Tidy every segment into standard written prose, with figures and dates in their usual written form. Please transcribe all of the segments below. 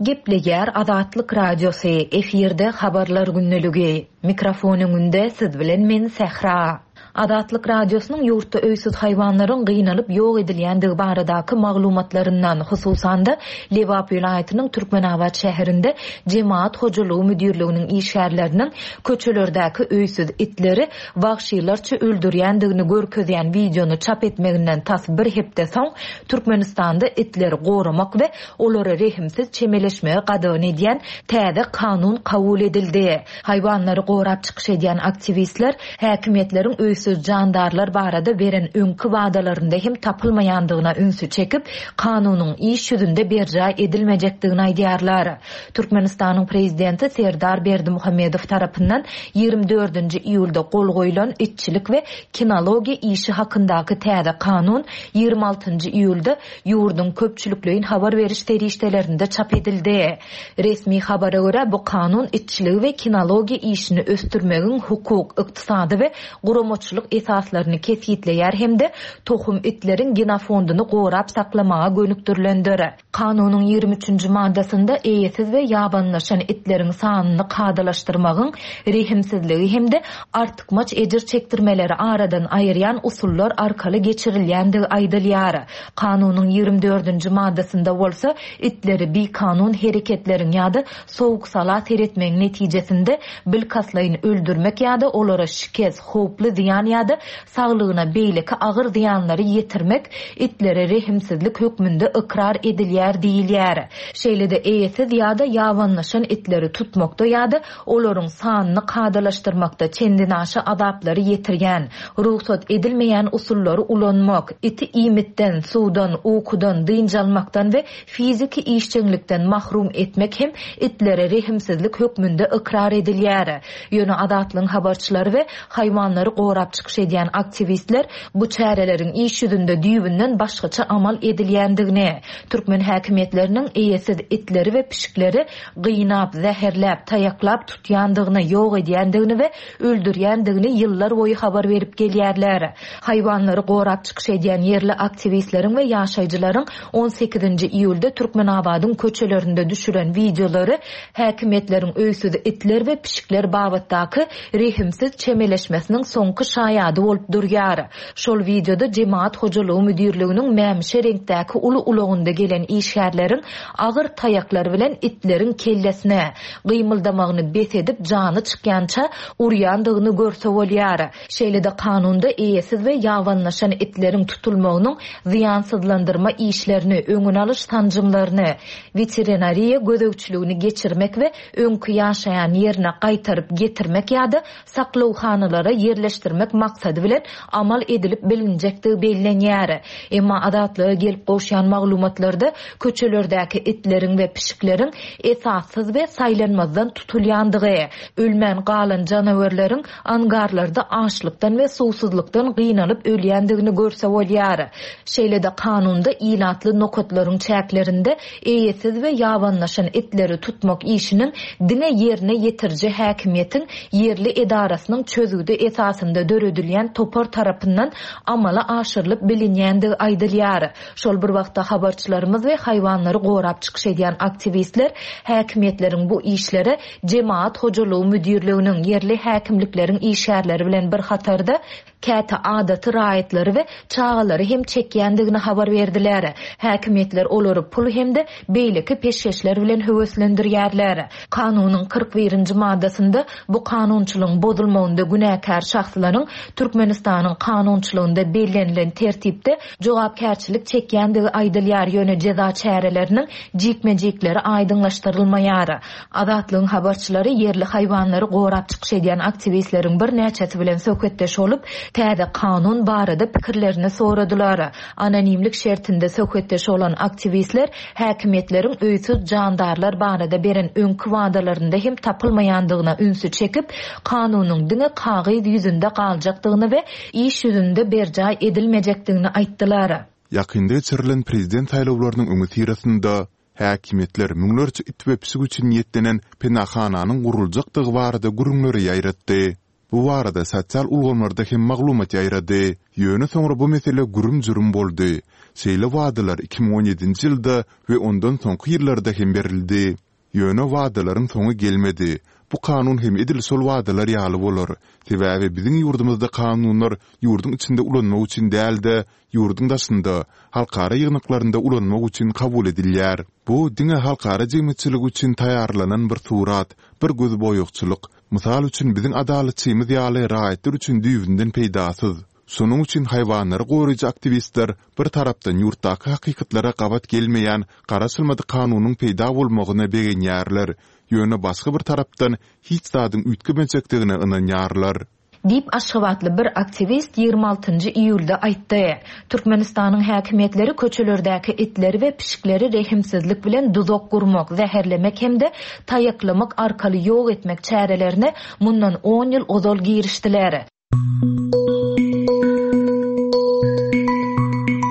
Gepleýär Azatlyk Radiosy, efirde Habarlar gündeligi. Mikrofon öňünde siz bilen men Sähra. Azatlyk Radiosynyň ýurtda öýsüz haýwanlaryň gynalyp ýok edilýändigi baradaky maglumatlaryndan, hususan-da, Lebap welaýatynyň Türkmenabat şäherinde Jemagat hojalygy müdirliginiň işgärleriniň köçelerdäki öýsüz itleri wagşylarça öldürýändigini görkezýän wideony çap etmeginden tas bir hepde soň, Türkmenistanda itleri goramak we olara rehimsiz çemeleşmegi gadagan edýän täze kanun kabul edildi. Haýwanlary gorap çykyş edýän aktiwistler häkimiýetleriň öýsüz jandarlar barada beren öňki wadalarynda hem tapylmaýandygyna ünsi çekip, kanunyň iş ýüzünde berjaý edilmejekdigini aýdýarlar. Türkmenistanyň Prezidenti Serdar Berdimuhamedow tarapyndan 24-nji iýulda gol goýlan Itçilik we kinologiýa işi hakyndaky täze kanun 26-njy iýulda ýurduň köpçülikleýin habar beriş serişdelerinde çap edildi. Resmi habara görä, bu kanun itçiligi we kinologiýa işini ösdürmegiň hukuk, ykdysady we guramaçylyk esaslaryny kesgitleýär hem-de tohum itleriň genofondyny gorap saklamaga gönükdirilendir. Kanunyň 23-nji maddasynda eýesiz we ýabanylaşan itleriň sanyny kadalaşdyrmagyň rehimsizligi hem-de artykmaç ejir çekdirmeleri aradan aýyrýan usullar arkaly geçirilýändigi aýdylýar. Kanunyň 24-nji maddasynda bolsa itleri bikanun hereketleriň ýa-da sowuk-sala seretmegiň netijesinde bilkastlaýyn öldürmek ýa-da olara şikes, howply zyýan ýa-da saglygyna beýleki agyr zyýanlary ýetirmek itlere rehimsizlik hökmünde ykrar edilýär diýilýär. Şeýle-de eýesiz ýa-da ýabanylaşan itleri tutmakda ýa-da olaryň sanyny kadalaşdyrmakda çendenaşa azaplary ýetirýän, rugsat edilmeýän usullary ulanmak, iti iýmitden, suwdan, ukudan, dynç almakdan we fiziki işjeňlikden mahrum etmek hem itlere rehimsizlik hökmünde ykrar edilýär. Ýöne Azatlygyň habarçylary we haýwanlary gorap çykyş edýän aktiwistler bu çäreleriň iş ýüzünde düýbünden başgaça amal edilýändigini, türkmen häkimiýetleriniň eýesiz itleri we pişikleri gynap, zäherläp, taýaklap tutýandygyny, ýok edýändigini we öldürýändigini ýyllar boýy habar berip gelýärler. Haýwanlary gorap çykyş edýän ýerli aktiwistleriň we ýaşaýjylaryň 18-nji iýulda Türkmenabadyň köçelerinde düşüren wideolary häkimiýetleriň öýsüz itler we pişikler babatdaky rehimsiz çemeleşmesiniň soňky şaýady bolup durýar. Şol wideoda Jemagat hojalygy müdirliginiň mämişi reňkdäki uly ulagynda gelen işgärleriň agyr taýaklar bilen itleriň kellesine, gymyldamagyny bes edip jany çykýança urýandygyny görse bolýar. Şeýle-de kanunda eýesiz we ýabanylaşan itleriň tutulmagynyň zyýansyzlandyrma işlerini, öňüni alyş sanjymlaryny, weterinariýa gözegçiligini geçirmek we öňki ýaşaýan ýerine gaýtaryp getirmek ýa-da saklawhanalara ýerleşdirmek maksady bilen amal edilip bilinjekdigi bellenýär. Emma Azatlyga gelip gowşýan maglumatlarda köçelerdäki itleriň we pişikleriň esassyz we saýlanmazdan tutulýandygy, ölmän galan janawerleriň angarlarda açlykdan we suwsuzlykdan gynalyp ölýändigini görse bolýar. Şeýle-de kanunda ilatly nokatlaryň çäklerinde eýesiz we ýabanylaşan itleri tutmak işiniň diňe ýerine ýetiriji häkimiýetiň ýerli edarasynyň çözgüdi esasynda döredilýän topar tarapyndan amala aşyrylyp bilinýändigi aýdylýar. Şol bir wagtda habarçylarymyz we haýwanlary gorap çykyş edýän aktiwistler häkimiýetleriň bu işlere Jemagat hojalygy müdirliginiň, ýerli häkimlikleriň işgärleri bilen bir hatarda, käte adaty raýatlary we çagalary hem çekýändigini habar berdiler. Häkimiýetler olary pul hem-de beýleki peşgeşler bilen höweslendirýärler. Kanunyň 41-nji maddasynda bu kanunçylygyň bozulmagynda günäkär şahslaryň Türkmenistanyň kanunçylygynda bellenilen tertipde jogapkärçilik çekýändigi aýdylýar, ýöne jeza çäreleriniň jikme-jikleri aýdyňlaşdyrylmaýar. Azatlygyň habarçylary ýerli haýwanlary gorap çykyş edýän aktiwistleriň birnäçesi bilen söhbetdeş bolup, täze kanun barada pikirlerini soradylar. Anonimlik şertinde söhbetdeş bolan aktiwistler häkimiýetleriň öýsüz jandarlar barada beren öňki wadalarynda hem tapylmaýandygyna ünsi çekip, kanunyň diňe kagyz ýüzünde galjakdygyny we iş ýüzünde berjaý edilmejekdigini aýtdylar. Ýakynda geçirilen prezident saýlawlarynyň öňüsyrasynda Häkimiýetler müňlerçe it we pişik üçin niýetlenen penahananyň guruljakdygy barada gürrüňleri ýaýratdy. Bu barada sosial ulgamlarda hem maglumat ýaýrady. Ýöne soňra bu mesele gürüm-jürüm boldy. Şeýle wadalar 2017-nji ýylda we ondan soňky ýyllarda hem berildi. Ýöne wadalaryň soňy gelmedi. Bu kanun hem edil şol wadalar ýaly bolar. Sebäbi biziň ýurdumyzda kanunlar ýurduň içinde ulanmak üçin däl-de, ýurduň daşynda, halkara ýygnaklarynda ulanmak üçin kabul edilýär. Bu diňe halkara jemgyýetçiligi üçin taýýarlanan bir surat, bir gözboýagçylyk. Mysal üçin, biziň adalatçymyz ýaly raýatlar üçin düýbünden peýdasyz. Şonuň üçin haýwanlary goraýjy aktiwistler bir tarapdan ýurtdaky hakykatlara gabat gelmeýän garaşylmadyk kanunyň peýda bolmagyna begenýärler, ýöne başga bir tarapdan hiç zadyň üýtgemejekdigine ynanýarlar. Diýip, aşgabatly bir aktiwist 26 nji iýulda aýtdy. Türkmenistanyň häkimiýetleri köçelerdäki itleri we pişikleri rehimsizlik bilen duzak gurmak, zäherlemek hem-de taýaklamak arkaly ýok etmek çärelerine mundan on ýyl ozal girişdiler.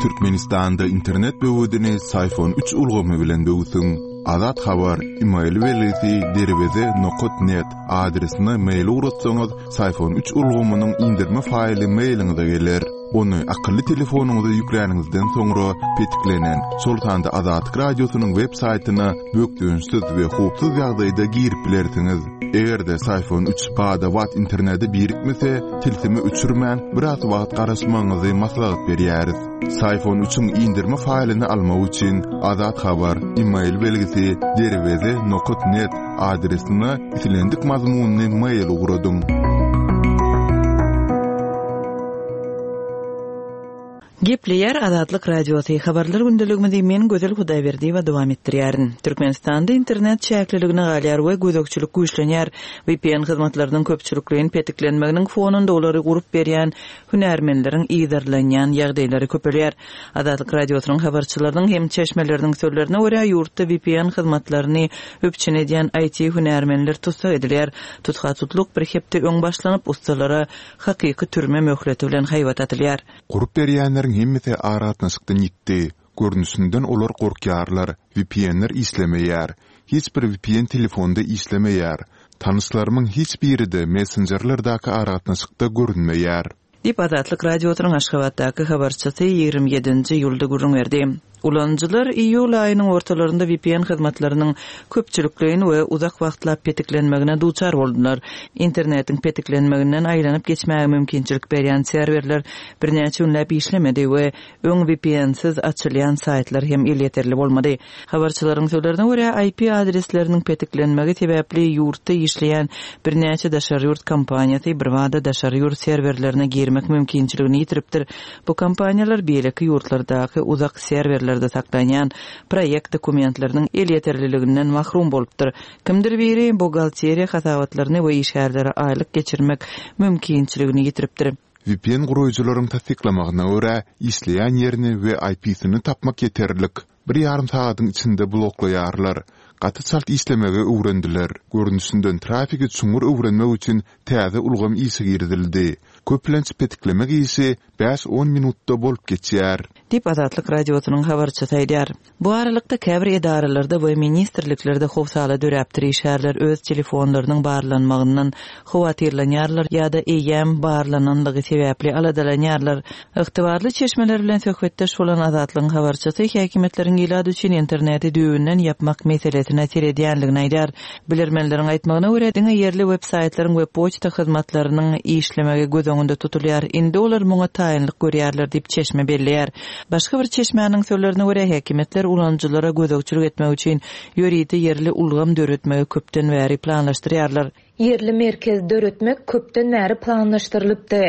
Türkmenistanda internet böwedini Syfon üç ulgamy bilen böwsüň. Azat Habar, email belgisi derweze nokat net adresine mail ugratsaňyz, Syfon üç ulgamynyň indirme faýly mailiňize geler. Ony akylly telefonyňyza ýükläniňizden soňra petiklenen, şol sanda Azatlyk Radiosynyň web saýtyna bökdençsiz we howpsuz ýagdaýda girip bilersiňiz. Eger-de Syfon üç bada-bat internete birikmese, tilsimi öçürmän, biraz wagt garaşmagyňyzy maslahat berýäris. Syfon üçiň indirme faýlyny almak üçin Azat Habar, email belgisi, derweze nokat net adresine islendik mazmunly mail ugradyň. Gepleýär Azatlyk Radiosy, Habarlar gündeligimizi men Gözel Hudaýberdiýewa dowam etdirýärin. Türkmenistanda internet çäkliligine galýar we gözegçilik güýçlenýär. VPN hyzmatlarynyň köpçülikleýin petiklenmeginiň fonunda olary gurup berýän hünärmenleriň yzarlanýan ýagdaýlary köpelýär. Azatlyk Radiosynyň habarçylarynyň hem çeşmeleriniň sözlerine görä, ýurtda VPN hyzmatlaryny üpjün edýän IT-hünärmenler tussag edilýär. Tutha-tutluk bir hepde öň başlanyp, ussalara hakyky türme möhleti bilen haýbat atylýar. Gurup berýänleriň hemmesi aragatnaşykdan ýitdi. Görnüşinden olar gorkýarlar, VPN-ler işlemeýär. Hiç bir VPN telefonda işlemeýär. Tanyşlarymyň hiç biri-de messenjerlerdäki aragatnaşykda görünmeýär. Diýip, Azatlyk Radiosynyň Aşgabatdaky habarçysy 27-nji iýulda gürrüň berdi. Ulanyjylar iýul aýynyň ortalarynda VPN hyzmatlarynyň köpçülikleýin we uzak wagtlap petiklenmegine duçar boldular. Internetiň petiklenmeginden aýlanyp geçmäge mümkinçilik berýän serwerler birnäçe günläp işlemedi we öň VPN-siz açylýan saýtlar hem elýeterli bolmady. Habarçylaryň sözlerine görä, IP adresleriniň petiklenmegi sebäpli ýurtda işleýän birnäçe daşary ýurt kompaniýasy birbada daşary ýurt serwerlerine girmek mümkinçiligini ýitiripdir. Bu kompaniýalar beýleki ýurtlardaky uzak serwerlerde saklanýan proýekt dokumentleriniň elýeterliliginden mahrum bolupdyr. Kimdir biri buhgalteriýa hasabatlaryny we işgärlere aýlyk geçirmek mümkinçiligini ýitiripdir. VPN guraýjylaryň tassyklamagyna görä, işleýän ýerini we IP-sini tapmak ýeterlik. Bir ýarym sagadyň içinde bloklaýarlar. Gaty çalt işlemegi öwrendiler. Görnüşinden trafigi çuňňur öwrenmek üçin täze ulgam işe girizildi. Köplenç petiklemek işi bäş-on minutda bolup geçýär. Diýip, Azatlyk Radiosynyň habarçysy aýdýar. Bu aralykda, käbir edaralarda we ministrliklerde howsala döräpdir, işgärler öz telefonlarynyň barlanmagyndan howatyrlanýarlar ýa-da eýýäm barlananlygy sebäpli aladalanýarlar. Ygtybarly çeşmeler bilen söhbetdeş bolan Azatlygyň habarçysy häkimiýetleriň ilat üçin interneti düýbünden ýapmak meselesine seredýänligini aýdýar. Bilermenleriň aýtmagyna görä, diňe ýerli web-saýtlaryň we poçta hyzmatlarynyň işlemegi göz öňünde tutulýar. Indi olar muňa taýynlyk görýärler diýip, çeşme belleýär. Başga bir çeşmäniň sözlerine görä, häkimiýetler ulanyjylara gözegçilik etmek üçin ýörite ýerli ulgam döretmegi köpden bäri planlaşdyrýarlar. Ýerli merkez döretmek köpden bäri planlaşdyrylypdy.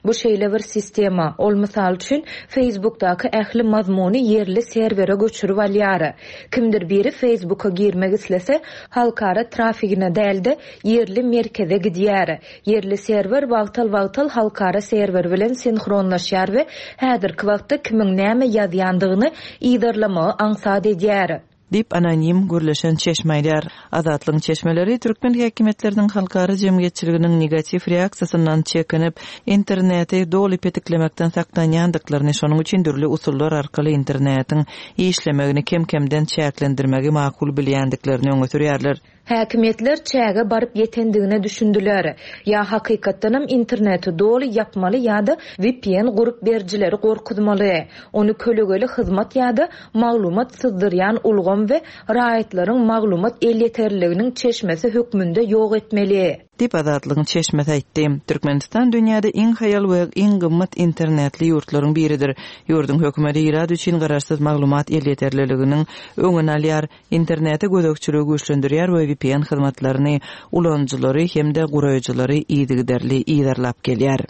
Bu şeýle bir sistema, ol, mysal üçin, Facebookdaky ähli mazmuny ýerli serwere göçürip alýar. Kimdir biri Facebooka girmek islese, halkara trafigine däl-de, ýerli merkeze gidýär. Ýerli serwer wagtal-wagtal halkara serwer bilen sinhronlaşýar we häzirki wagtda kimiň näme ýazýandygyny yzarlamagy aňsat edýär. Diýip, anonim gürleşen çeşme aýdýar. Azatlygyň çeşmeleri türkmen häkimiýetleriniň halkara jemgyýetçiliginiň negatiw reaksiýasyndan çekinip, interneti doly petiklemekden saklanýandyklaryny, şonuň üçin dürli usullar arkaly internetiň işlemegini kem-kemden çäklendirmegi makul bilýändiklerini öňe sürýärler. Häkimiýetler çäge baryp ýetendigine düşündiler. Ýa hakykatdanam interneti doly ýapmaly ýa-da vpn gurup berijileri gorkuzmaly. Ony kölegeli hyzmat ýa-da maglumat syzdyrýan ulgam we raýatlaryň maglumat elýeterliliginiň çeşmesi hökmünde ýok etmeli. Diýip, Azatlygyň çeşmesi aýtdy. Türkmenistan dünýäde iň haýal we iň gymmat internetli ýurtlaryň biridir. Ýurduň hökümeti ilat üçin garaşsyz maglumat elýeterliliginiň öňüni alýar, internete gözegçiligi güýçlendirýär we vpn hyzmatlaryny ulanyjylary hem-de guraýjylary yzygiderli yzarlap gelýär.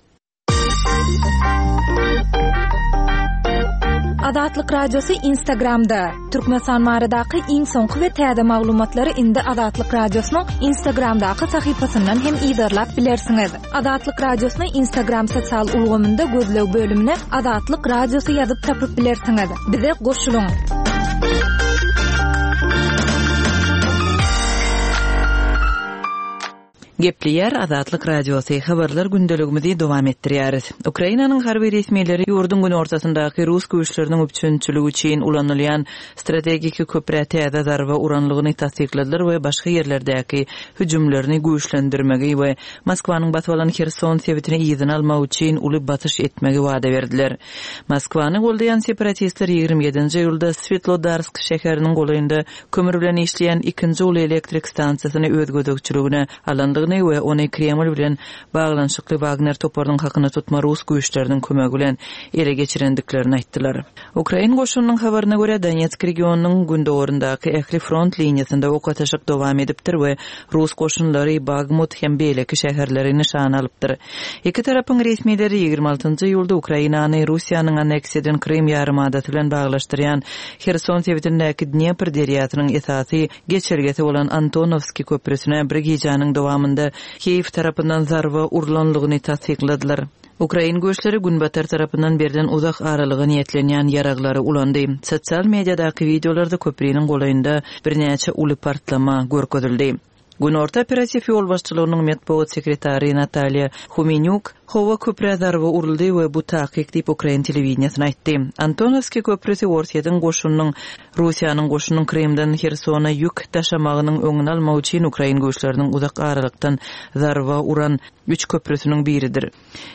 Azatlyk Radiosy Instagramda, Türkmenistan baradaky iň soňky we täze maglumatlary indi Azatlyk Radiosynyň Instagramdaky sahypasyndan hem yzarlap bilersiňiz. Azatlyk Radiosyny Instagram sosial ulgamynda gözleg bölümine Azatlyk Radiosy ýazyp tapyp bilersiňiz. Bize goşulyň! Gepleýär Azatlyk Radiosy, Habarlar gündeligimizi dowam etdirýäris. Ukrainanyň harby resmileri ýurduň günortasyndaky rus güýçleriniň üpjünçiligi üçin ulanylýan strategiki köprä täze zarba uranlygyny tassykladylar we başga ýerlerdäki hüjümlerini güýçlendirmegi we Moskwanyň basyp alan Herson sebitini yzyna almak üçin uly basyş etmegi wada berdiler. Moskwany goldaýan separatistler 27-nji iýulda Swetlodarsk şäheriniň golaýynda kömür bilen işleýän ikinji uly elektrik stansiýasyny öz gözegçiligine alandygyny we ony Kreml bilen baglanyşykly Wagner toparynyň hakyna tutma rus güýçleriniň kömegi bilen ele geçirendiklerini aýtdylar. Ukrain goşunynyň habaryna görä, Donetsk regionynyň gündogaryndaky ähli front liniýasynda ok atyşyk dowam edipdir we rus goşunlary Bagmut hem beýleki şäherleri nyşana alypdyr. Iki tarapyň resmileri 26 iýulda Ukrainany Russiýanyň anneksiýa eden Krym ýarymadasy bilen baglaşdyrýan Herson sebitindäki Dnepr derýasynyň esasy geçelgesi bolan Antonowskiý köprüsine bir gijäniň dowamynda Kiýew tarapyndan zarba urlanlygyny tassykladylar. Ukrain güýçleri Günbatar tarapyndan berlen uzak aralyga niýetlenýän ýaraglary ulandy. Sosial mediadaky wideolarda köpriniň golaýynda birnäçe uly partlama görkezildi. Günorta operatiw ýolbaşçylygynyň metbugat sekretary Natalýa Humenýuk, Howa köprä zarba uruldy we bu takyk diýip, ukrain telewideniýesine aýtdy. Antonowskiý köprüsi Orsýetiň goşunynyň Russiýanyň goşunynyň Krymdan Hersona ýük daşamagynyň öňüni almak üçin ukrain güýçleriniň uzak aralykdan zarba uran üç köprüsiniň biridir.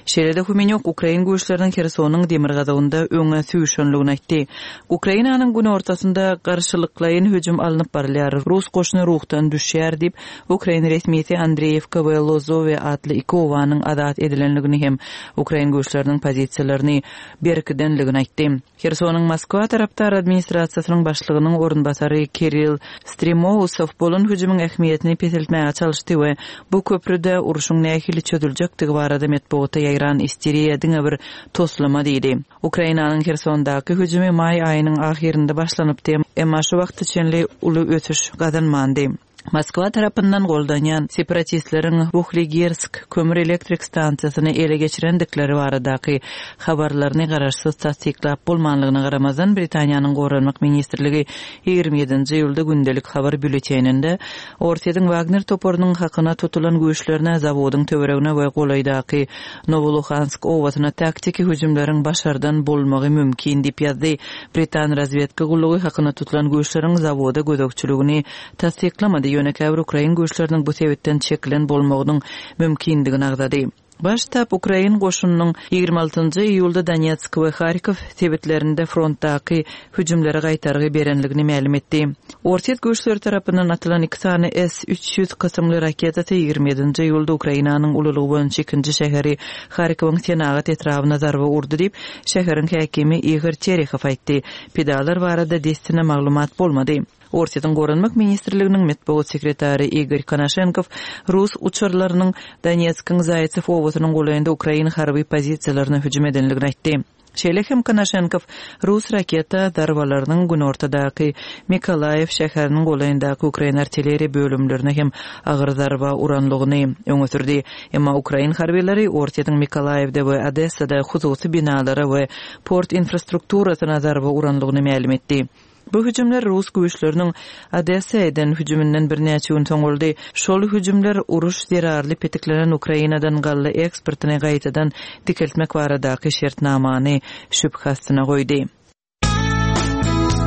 Şeýle-de Humenýuk ukrain güýçleriniň Hersonyň demirgazygynda öňe süýşenligini aýtdy. Ukrainanyň günortasynda garşylyklaýyn hüjüm alnyp barylýar, rus goşuny ruhdan düşýär diýip, ukrain resmisi Andreýewka we Lozowe atly iki obanyň azat edilenligini hem ukrain güýçleriniň pozisiýalaryny berkidenligini aýtdy. Hersonyň Moskwa tarapdar administrasiýasynyň başlygynyň orunbasary Kirill Stremousow bolan hüjümiň ähmiýetini peseltmäge çalyşdy we bu köprüde urşuň nähili çözüljekdigi barada metbugata ýaýran isteriýa diňe bir toslama diýdi. Ukrainanyň Hersondaky hüjümi maý aýynyň ahyrynda başlanypdy, emma şu wagta çenli uly ösüş gazanmandy. Moskwa tarapyndan goldanýan separatistleriň Wuhligersk kömür elektrik stansiýasyny ele geçirendikleri baradaky habarlaryny garaşsyz tassyklap bolmanlygyna garamazdan, Britaniýanyň Goranmak ministrligi 27-nji iýulda gündelik habar býulleteninde Orsýetiň Wagner toparynyň hakyna tutulan güýçlerine zawodyň töweregine we golaýdaky Nowoluhansk obasyna taktiki hüjümleriň başardan bolmagy mümkin diýip ýazdy. Britan razwedka gullugy hakyna tutulan güýçleriň zawoda gözegçiligini tassyklamady, ýöne käbir ukrain güýçleriniň bu sebitden çekilen bolmagynyň mümkindigini agzady. Baş ştab ukrain goşunynyň 26 njy iýulda Donetsk we Harkow sebitlerinde frontdaky hüjümlere gaýtargy berenligini mälim etdi. Orsýet güýçleri tarapyndan atylan iki sany S 300 kysymly raketasy 27 nji iýulda Ukrainanyň ululygy boýunça ikinji şäheri Harkowyň senagat etrabyna zarba urdy diýip, şäheriň häkimi Igor Terehow aýtdy. Pidalar barada dessine maglumat bolmady. Orsýetiň Goranmak ministrliginiň metbugat sekretary Igor Konaşenkow rus uçarlarynyň Donetskiň Zaýtsew obasynyň golaýynda ukrain harby pozisiýalaryna hüjüm edendigini aýtdy. Şeýle hem Konaşenkow rus raketa zarbalarynyň günortadaky Mykolaýiw şäheriniň golaýyndaky ukrain artilleriýa bölümlerine hem agyr zarba uranlygyny öňe sürdi. Emma ukrain harbylary Orsýetiň Mykolaýiwde we Odessada hususy binalara we port infrastrukturasyna zarba uranlygyny mälim etdi. Bu hüjümler rus güýçleriniň Odessa eden hüjüminden birnäçe gün soň boldy. Şol hüjümler uruş zerarly petiklenen Ukrainadan galla eksportyny gaýtadan dikeltmek baradaky şertnamany şübhe astyna goýdy.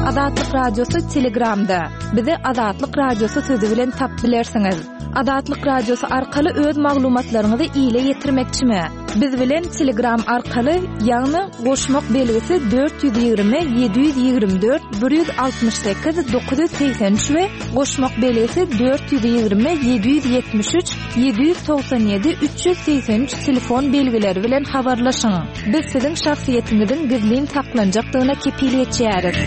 Azatlyk Radiosy Telegramda. Bizi Azatlyk Radiosy sözi bilen tapyp bilersiňiz. Azatlyk Radiosy arkaly öz maglumatlaryňyzy ile ýetirmekçimi? Biz bilen Telegram arkaly, ýagny goşmak belgisi 420 724 168 983 we goşmak belgisi 420 773 797 383 telefon belgileri bilen habarlaşyň. Biz siziň şahsyýetiňiziň gizlin saklanjakdygyna kepil geçýäris.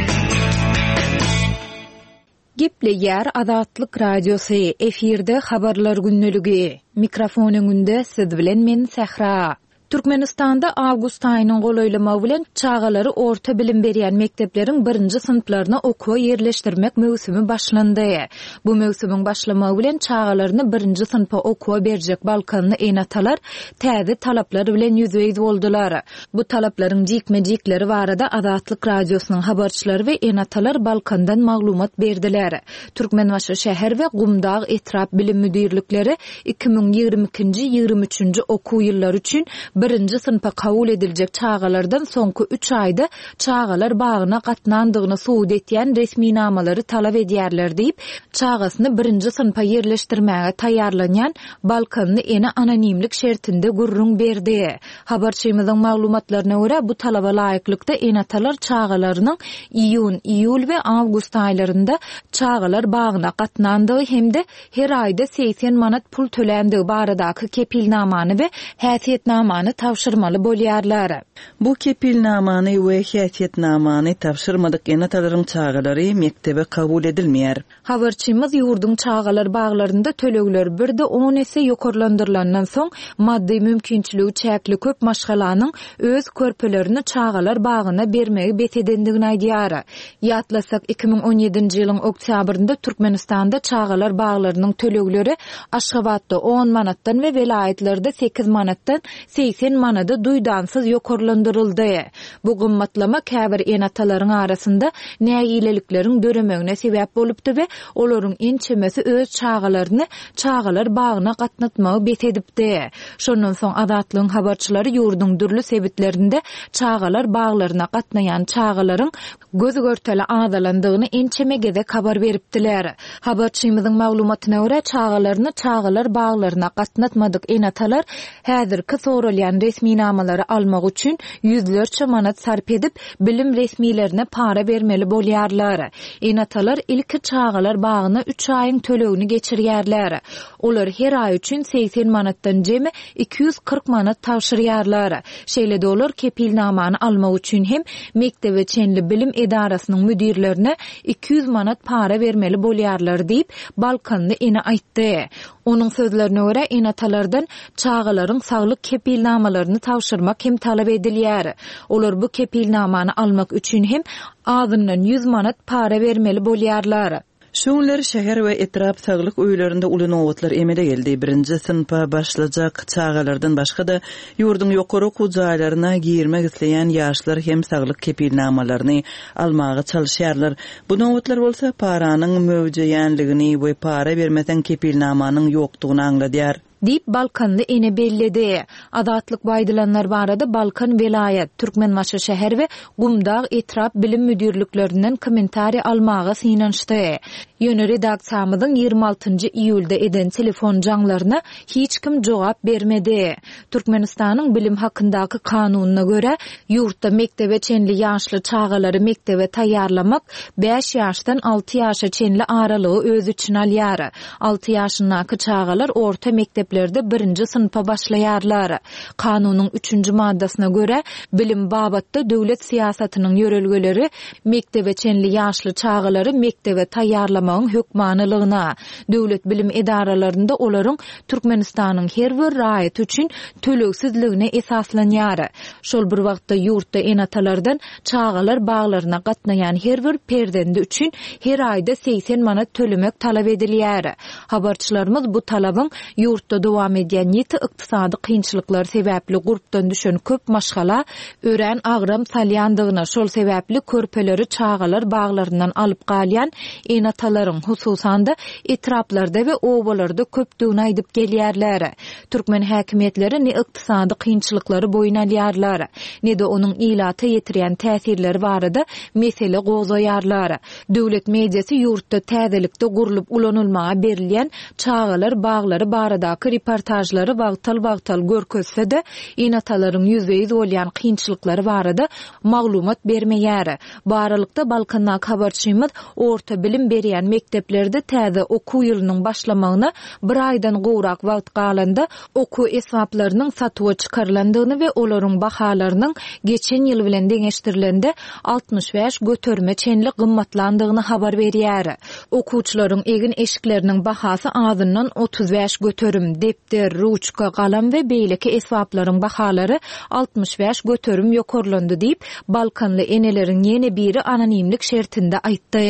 Gepleýär Azatlyk Radiosy, efirde Habarlar gündeligi. Mikrofon öňünde siz bilen men Sähra. Türkmenistanda awgust aýynyň golaýlamagy bilen çagalary orta bilim berýän mekdepleriň birinji synplaryna okuwa ýerleşdirmek möwsümi başlandy. Bu möwsümiň başlamagy bilen çagalaryny birinji synpa okuwa berjek balkanly ene-atalar täze talaplar bilen ýüzbe-ýüz boldular. Bu talaplaryň jikme-jikleri barada Azatlyk Radiosynyň habarçylary we ene-atalar Balkandan maglumat berdiler. Türkmenbaşy şäher we Gumdag etrap bilim müdirlikleri 2022-nji, 23-nji okuw ýyllary üçin birinji synpa kabul ediljek çagalardan soňky üç aýda çagalar bagyna gatnandygyny subut etýän resminamalary talap edýärler diýip, çagasyny birinji synpa ýerleşdirmäge taýýarlanýan Balkanly ene anonimlik şertinde gürrüň berdi. Habarçymyzyň maglumatlaryna görä, bu talaba laýyklykda ene-atalar çagalarynyň iýun, iýul we awgust aýlarynda çagalar bagyna gatnandygy hem-de her aýda 80 manat pul töländigi baradaky kepilnamany we häsiýetnamany tabşyrmaly bolýarlar. Bu kepilnamany we häsiýetnamany tabşyrmadyk ene-atalaryň çagalary mekdebe kabul edilmeýär. Habarçymyz ýurduň çagalar baglarynda tölegler birde on esse ýokarlandyrylandan soň, maddy mümkinçiligi çäkli köp maşgalanyň öz körpelerini çagalar bagyna bermegi bes edendigini aýdýar. Ýatlasak, 2017-nji ýylyň oktýabrynda Türkmenistanda çagalar baglarynyň tölegleri Aşgabatda on manatdan we welaýatlarda sekiz manatdan 80 manada duýdansyz ýokarlandyryldy. Bu gymmatlama käbir ene-atalaryň arasynda nägilelikleriň döremegine sebäp bolupdy we olaryň ençemesi öz çagalaryny çagalar bagyna gatnatmagy bes edipdi. Şondan soň Azatlygyň habarçylary ýurduň dürli sebitlerinde çagalar baglaryna gatnaýan çagalaryň göz-görtele azalandygyny ençeme gezek habar beripdiler. Habarçymyzyň maglumatyna görä, çagalaryny çagalar baglaryna gatnatmadyk ene-atalar häzirki soralýan resminamalary almak üçin ýüzlerçe manat sarp edip, bilim resmilerine para bermeli bolýarlar. Ene-atalar ilki çagalar bagyna üç aýyň tölegini geçirýärler. Olar her aý üçin 80 manatdan jemi 240 manat tabşyrýarlar. Şeýle-de olar kepilnamany almak üçin hem mekdebe çenli bilim edarasynyň müdirlerine 200 manat para bermeli bolýarlar diýip, balkanly ene aýtdy. Onuň sözlerine görä, ene-atalardan çagalaryň saglyk kepilnamalaryny tabşyrmak hem talap edilýär. Olar bu kepilnamany almak üçin hem azyndan 100 manat para bermeli bolýarlar. Şu günler şäher we etrap saglyk öýlerinde uly nobatlar emele geldi. Birinji synpa başlajak çagalardan başga-da, ýurduň ýokary okuw jaýlaryna girmek isleýän ýaşlar hem saglyk kepilnamalaryny almaga çalyşýarlar. Bu nobatlar bolsa paranyň möwjeýänligini we para bermeseň kepilnamanyň ýokdugyny aňladýar. Diýip, balkanly ene belledi. Azatlyk bu aýdylanlar barada Balkan welaýat, Türkmenbaşy şäher we Gumdag etrap bilim müdirliklerinden kommentariý almaga synanyşdy. Ýöne redaksiýamyzyň 26 iýulda eden telefon jaňlaryna hiç kim jogap bermedi. Türkmenistanyň Bilim hakyndaky kanunyna görä, ýurtda mekdebe çenli ýaşly çagalary mekdebe taýýarlamak bäş ýaşdan alty ýaşa çenli aralygy öz içine alýar. Alty ýaşyndaky çagalar orta mekdeplerde birinji synpa başlaýarlar. Kanunyň üçünji maddasyna görä, bilim babatda döwlet syýasatynyň ýörelgeleri mekdebe çenli ýaşly çagalary mekdebe taýýarlamagyň hökmanylygyna, döwlet bilim edaralarynda olaryň Türkmenistanyň her bir raýaty üçin tölegsizligine esaslanýar. Şol bir wagtda ýurtda ene-atalardan Çagalar baglaryna gatnaýan her bir perzendi üçin her aýda 80 manat tölemek talap edilýär. Habarçylarymyz bu talabyň ýurtda Ýurtda dowam edýän ýiti ykdysady kynçylyklar sebäpli gurpdan düşen köp maşgala örän agram salýandygyny, şol sebäpli körpeleri çagalar baglaryndan alyp galýan ene-atalaryň, hususan-da, etraplarda we obalarda köpdügini aýdyp gelýärler. Türkmen häkimiýetleri ne ykdysady kynçylyklary boýun alýarlar, ne-de onuň ilata ýetirýän täsirleri barada mesele gozgaýarlar. Döwlet mediasy ýurtda täzelikde gurlup ulanylmaga berilýän çagalar baglary baradaky reportažlary wagtal-wagtal görkezse-de, ene-atalaryň ýüzbe-ýüz bolýan kynçylyklary barada maglumat bermeýär. Bu aralykda, Balkandaky habarçymyz orta bilim berýän mekdeplerde täze okuw ýylynyň başlamagyna bir aýdan gowrak wagt galanda, okuw esbaplarynyň satuwa çykarylandygyny we olaryň bahalarynyň geçen ýyl bilen deňeşdirilende 65 göterime çenli gymmatlandygyny habar berýär. Okuwçylaryň egin-eşikleriniň bahasy azyndan 35 göterim, depder, ruçka, galam we beýleki esbaplaryň bahalary 65 göterim ýokarlandy diýip, balkanly eneleriň ýene biri anonimlik şertinde aýtdy.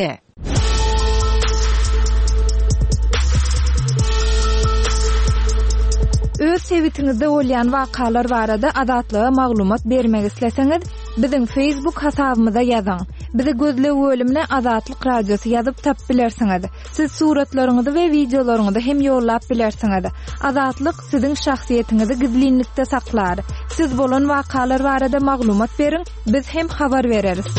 Öz sebitiňizde bolýan wakalar barada Azatlyga maglumat bermek isleseňiz, biziň Facebook hasabymyza ýazyň. Bizi gözleg bölümine Azatlyk Radiosy ýazyp tapyp bilersiňiz. Siz suratlaryňyzy we wideolaryňyzy hem ýollap bilersiňiz. Azatlyk siziň şahsyýetiňizi gizlinlikde saklar. Siz bolan wakalar barada maglumat beriň, biz hem habar bereris.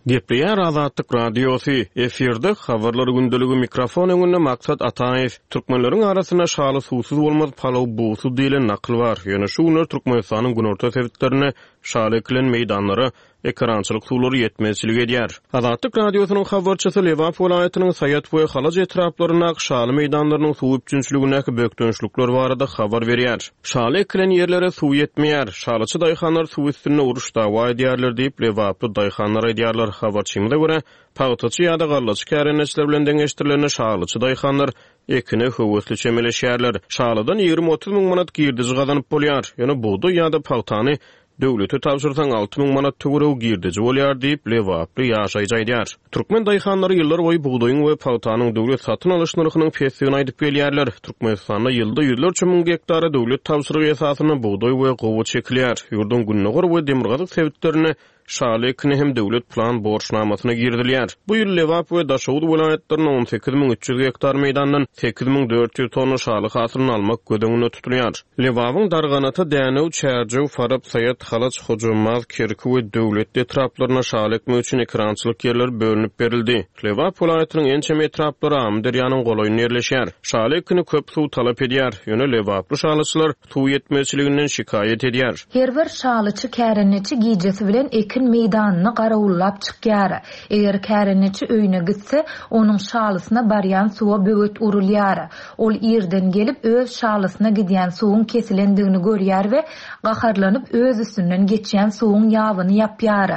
Gepleýär Azatlyk Radiosy, efirde Habarlar gündeligi mikrofon öňünde Maksat Ataýew. Türkmenleriň arasynda şaly suwsuz bolmaz, palaw bugsuz diýlen nakyl bar. Ýöne şu günler Türkmenistanyň günorta sebitlerinde şaly ekilen meýdanlara Ekerançylyk suwlary ýetmezçilik edýär. Azatlyk Radiosynyň habarçysy Lebap welaýatynyň Saýat we Halaç etraplaryndaky şaly meýdanlarynyň suw üpjünçiligindäki bökdençlikler barada habar berýär. Şaly ekilen ýerlere suw ýetmeýär. Şalyçy daýhanlar suw üstünde uruş-dawa edýärler diýip, lebaply daýhanlar aýdýarlar. Habarçymyza görä, pagtaçy ýa-da gallaçy kärendeçiler bilen deňeşdirilende şalyçy daýhanlar ekine höwesli çemeleşýärler. Şalydan 20-30 müň manat girdeji gazanyp bolýar. Ýöne bugdaý ýa-da pagtany Döwlete tabşyrsaň 6000 manat töweregi girdeji bolýar diýip, lebaply ýaşaýjy aýdýar. Türkmen daýhanlary ýyllarboýy bugdaýyň we pagtanyň döwlet satyn alyş nyrhynyň pesdigini aýdyp gelýärler. Türkmenistanda ýylda ýüzlerçe müň gektara döwlet tabşyrygy esasynda bugdaý we gowaça ekilýär. Ýurduň gündogar we demirgazyk sebitlerinde şaly ekini hem döwlet plan borçnamasyna girizilýär. Bu ýyl Lebap we Daşoguz welaýatlarynda 18 300 gektar meýdandan 8400 tonna şaly hasylyny almak göz öňünde tutulýar. Lebabyň Darganata, Dänew, Çärjew, Farap, Saýat, Halaç, Hojambaz, Kerki we Döwletli etraplarynda şaly ekmek üçin ekerançylyk ýerleri bölünip berildi. Lebap welaýatynyň ençeme etraplary Amyderýanyň golaýynda ýerleşýär. Şaly ekini köp suw talap edýär. Ýöne lebaply şalyçylar suw ýetmezçiliginden şikaýat edýär. Her bir şalyçy kärendeçi gijesi bilen ekin meýdanyny garawullap çykýar. Eger kärendeçi öýüne gitse, onuň şalysyna barýan suwa böwet urulýar. Ol irden gelip, öz şalysyna gidýän suwuň kesilendigini görýär we gaharlanyp öz üstünden geçýän suwuň ýabyny ýapýar.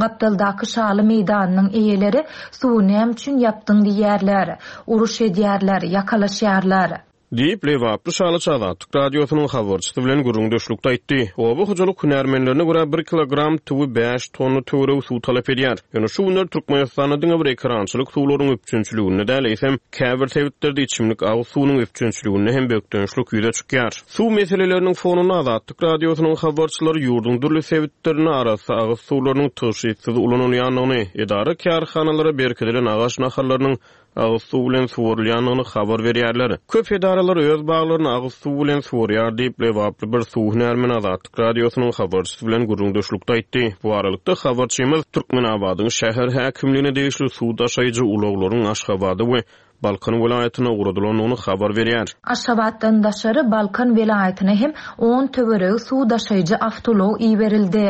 Gapdaldaky şaly meýdanynyň eýeleri suwy näme üçin ýapdyň diýýärler. Uruş edýärler, ýakalaşýarlar. Diýip, lebaply şalyçy Azatlyk Radiosynyň habarçysy bilen gürrüňdeşlikde aýtdy. Oba hojalyk hünärmenlerine görä, bir kilogram tüwi bäş tonna töweregi suw talap edýär. Ýöne şu günler Türkmenistanda diňe bir ekerançylyk suwlaryň üpjünçiliginde däl, eýsem, käbir sebitlerde içimlik agyz suwunyň üpjünçiliginde hem bökdençlik ýüze çykýar. Suw meseleleriniň fonunda Azatlyk Radiosynyň habarçylary ýurduň dürli sebitlerinde arassa agyz suwlarynyň tygşytsyz ulanylýandygyny, edara-kärhanalara berkidilen agaç nahallarynyň agyz suw bilen suwarylýandygyny habar berýärler. Köp edaralar öz baglaryny agyz suw bilen suwarýar diýip, lebaply bir suw hünärmeni Azatlyk Radiosynyň habarçysy bilen gürrüňdeşlikde aýtdy. Bu aralykda, habarçymyz Türkmenabadyň şäher häkimligine degişli suw daşaýjy ulaglaryň Aşgabada we Balkan welaýatyna ugradylandygyny habar berýär. Aşgabatdan daşary Balkan welaýatyna hem on töweregi suw daşaýjy awtoulag iberildi.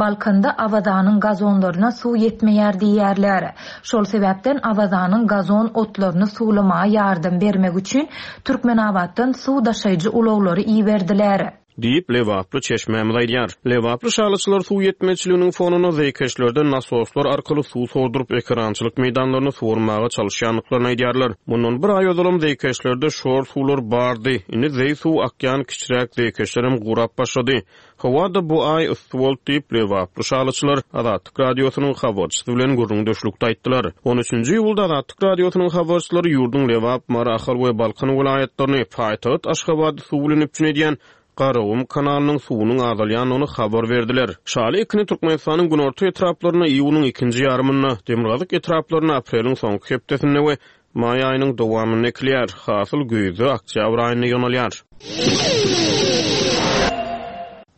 Balkanda Awazanyň gazonlaryna suw ýetmeýär diýýärler. Şol sebäpden Awazanyň gazon otlaryny suwlamaga ýardam bermek üçin Türkmenabatdan suw daşaýjy ulaglary iberdiler. Diýip, lebaply çeşmämiz aýdýar. Lebaply şalyçylar suw ýetmezçiliginiň fonunda zeýkeşlerden nasoslar arkaly suw sorduryp, ekerançylyk meýdanlaryny suwarmaga çalyşýandyklaryny aýdýarlar. Mundan bir aý ozalam zeýkeşlerde şor suwlar bardy. Indi zeý suw akýan kiçiräk zeýkeşlerem gurap başlady. Howa-da bu aý yssy boldy diýip, lebaply şalyçylar Azatlyk Radiosynyň habarçysy bilen gürrüňdeşlikde aýtdylar. On üçünji iýulda Azatlyk Radiosynyň habarçylary ýurduň Lebap, Mary, Ahal we Balkan welaýatlaryny, paýtagt Aşgabady suw bilen üpjün edýän Garagum kanalynyň suwunyň azalýandygyny habar berdiler. Şaly ekini Türkmenistanyň günorta etraplarynda iýunyň ikinji ýarymynda, demirgazyk etraplarynda apreliň soňky hepdesinde we Maý aýynyň dowamynda ekilýär. Hasyl güýzde, oktýabr aýynda ýygnalýar.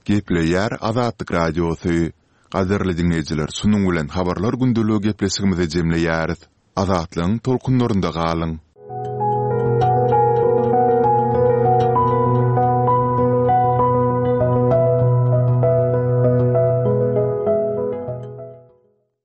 Gepleýär Azatlyk Radiosy. Gadyrly diňleýjiler şunuň bilen Habarlar gündeligi gepleşigimizi jemleýäris. Azatlygyň tolkunlarynda galyň!